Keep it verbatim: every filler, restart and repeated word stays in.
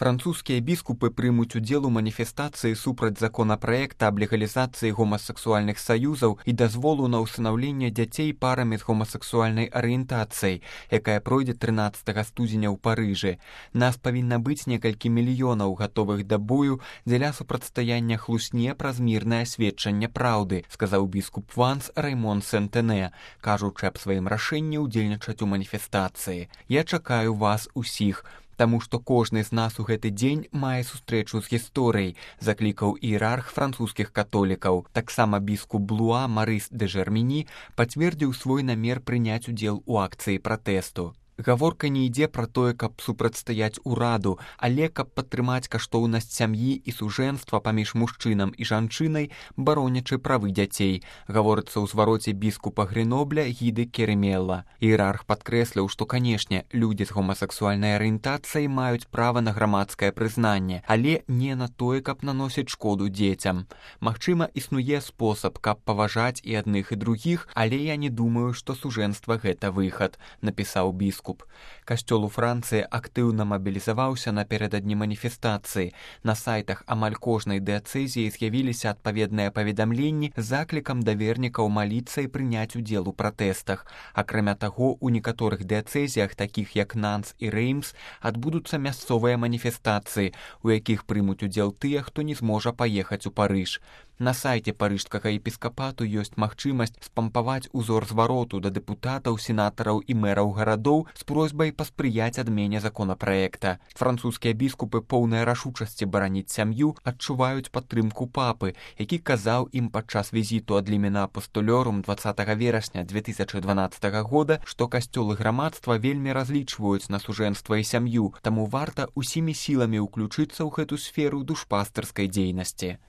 Французскія біскупы прымуць удзел у маніфестацыі супраць законапраекта аб легалізацыі гомасексуальных саюзаў і дазволу на ўсынаўленне дзяцей парамі з гомасексуальнай арыентацыяй, якая пройдзе трынаццатага студзеня ў Парыжы. Нас павінна быць некалькі мільёнаў гатовых да бою дзеля супрацьстаяння хлусне праз мірнае сведчанне праўды, сказаў біскуп Ванс Раймон Сентэнэ, кажучы аб сваім рашэнні ўдзельнічаць у маніфестацыі. Я чакаю вас усіх, таму што кожны з нас у гэты дзень мае сустрэчу з гісторыяй, заклікаў іерарх французскіх католікаў. Таксама біскуп Блуа Марыс де Жермені пацвердзіў свой намер прыняць удзел у акцыі пратэсту. Гаворка не ідзе пра тое, каб супрацьстаяць ураду, але каб падтрымаць каштоўнасць сям'і і сужэнства паміж мужчынам і жанчынай, баронячы правы дзяцей, гаворыцца ў звароце біскупа Гренобля Гіды Керемелла. Іерарх падкрэсліў, што, канешне, людзі з гомасексуальнай арыентацыяй маюць права на грамадскае прызнанне, але не на тое, каб наносіць шкоду дзецям. Магчыма, існуе спосаб, каб паважаць і адных, і другіх, але я не думаю, што сужэнства гэта выхад, напісаў біскуп. Касцёл у Францыі актыўна мабілізаваўся напярэдадні маніфестацыі. На сайтах амаль кожнай дыяцэзіі з'явіліся адпаведныя паведамленні з заклікам да вернікаў маліцца і прыняць удзел у пратэстах. Акрамя таго, у некаторых дыяцэзіях, такіх як Нанс і Рэймс, адбудуцца мясцовыя маніфестацыі, у якіх прымуць удзел тыя, хто не зможа паехаць у Парыж. На сайце парыжскага епіскапату ёсць магчымасць спампаваць узор звароту да дэпутатаў, сенатараў і мэраў гарадоў з просьбай паспрыяць адмене законапраекта. Французскія біскупы, поўныя рашучасці бараніць сям'ю, адчуваюць падтрымку папы, які казаў ім падчас візіту ад лімена апостолёрум дваццатага верасня дзве тысячы дванаццатага года, што касцёлы грамадства вельмі разлічваюць на сужэнства і сям'ю, таму варта усімі сіламі ўключыцца ў гэту сферу душпастырскай дзейнасці.